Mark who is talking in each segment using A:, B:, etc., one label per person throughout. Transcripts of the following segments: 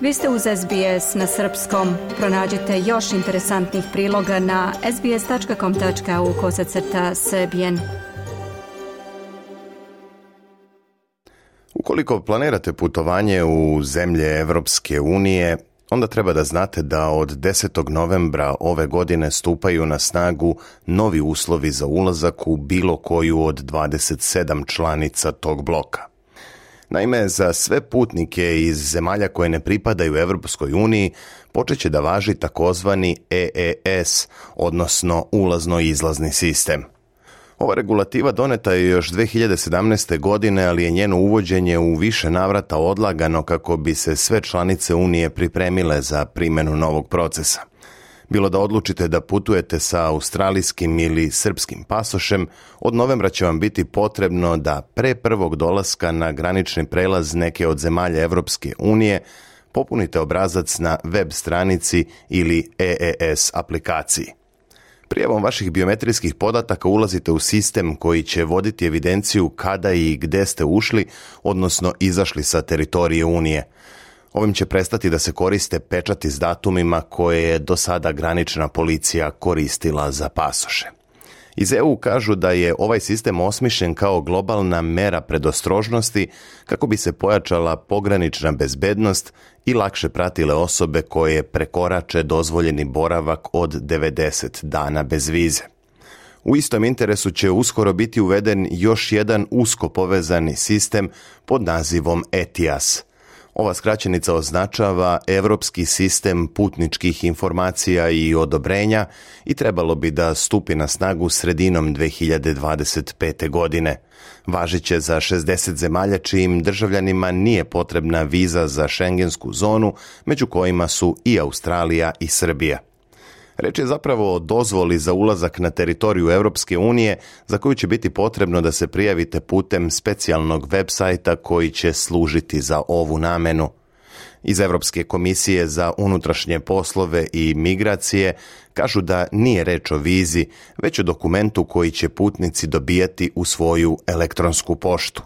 A: Vi ste uz SBS na srpskom. Pronađite još interesantnih priloga na sbs.com.au/srbijen.
B: Ukoliko planirate putovanje u zemlje Evropske unije, onda treba da znate da od 10. novembra ove godine stupaju na snagu novi uslovi za ulazak u bilo koju od 27 članica tog bloka. Naime, za sve putnike iz zemalja koje ne pripadaju Evropskoj uniji počet će da važi takozvani EES, odnosno ulazno-izlazni sistem. Ova regulativa doneta je još 2017. godine, ali je njeno uvođenje u više navrata odlagano kako bi se sve članice Unije pripremile za primjenu novog procesa. Bilo da odlučite da putujete sa australijskim ili srpskim pasošem, od novembra će vam biti potrebno da pre prvog dolaska na granični prelaz neke od zemalja Evropske unije popunite obrazac na web stranici ili EES aplikaciji. Prijavom vaših biometrijskih podataka ulazite u sistem koji će voditi evidenciju kada i gde ste ušli, odnosno izašli sa teritorije Unije. Ovim će prestati da se koriste pečati s datumima koje je do sada granična policija koristila za pasoše. Iz EU kažu da je ovaj sistem osmišljen kao globalna mera predostrožnosti kako bi se pojačala pogranična bezbednost i lakše pratile osobe koje prekorače dozvoljeni boravak od 90 dana bez vize. U istom interesu će uskoro biti uveden još jedan usko povezani sistem pod nazivom ETIAS. Ova skraćenica označava Evropski sistem putničkih informacija i odobrenja i trebalo bi da stupi na snagu sredinom 2025. godine. Važiće za 60 zemalja čijim državljanima nije potrebna viza za šengensku zonu, među kojima su i Australija i Srbija. Reč je zapravo o dozvoli za ulazak na teritoriju Evropske unije za koju će biti potrebno da se prijavite putem specijalnog web sajta koji će služiti za ovu namenu. Iz Evropske komisije za unutrašnje poslove i migracije kažu da nije reč o vizi, već o dokumentu koji će putnici dobijati u svoju elektronsku poštu.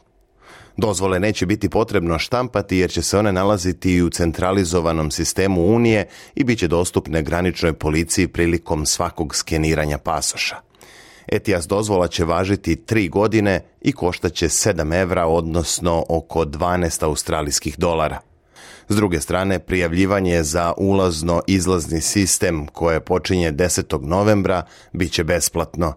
B: Dozvole neće biti potrebno štampati jer će se one nalaziti i u centralizovanom sistemu Unije i bit će dostupne graničnoj policiji prilikom svakog skeniranja pasoša. ETIAS dozvola će važiti 3 godine i koštaće €7, odnosno oko 12 australijskih dolara. S druge strane, prijavljivanje za ulazno-izlazni sistem koje počinje 10. novembra bit će besplatno.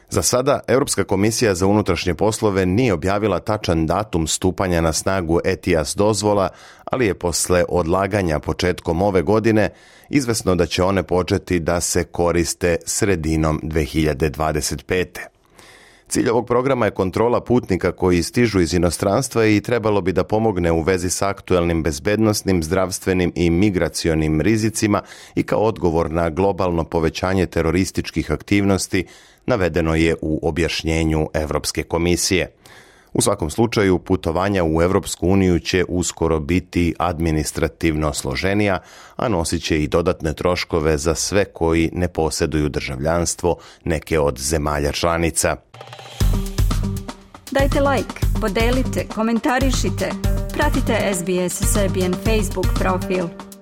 B: Za sada, Europska komisija za unutrašnje poslove nije objavila tačan datum stupanja na snagu ETIAS dozvola, ali je posle odlaganja početkom ove godine izvesno da će one početi da se koriste sredinom 2025. Cilj ovog programa je kontrola putnika koji stižu iz inostranstva i trebalo bi da pomogne u vezi s aktuelnim bezbednosnim, zdravstvenim i migracionim rizicima i kao odgovor na globalno povećanje terorističkih aktivnosti, navedeno je u objašnjenju Evropske komisije. U svakom slučaju, putovanja u Evropsku uniju će uskoro biti administrativno složenija, a nosit će i dodatne troškove za sve koji ne posjeduju državljanstvo neke od zemalja članica.
A: Dajte like, podelite, komentarišite. Pratite SBS Serbian Facebook profil.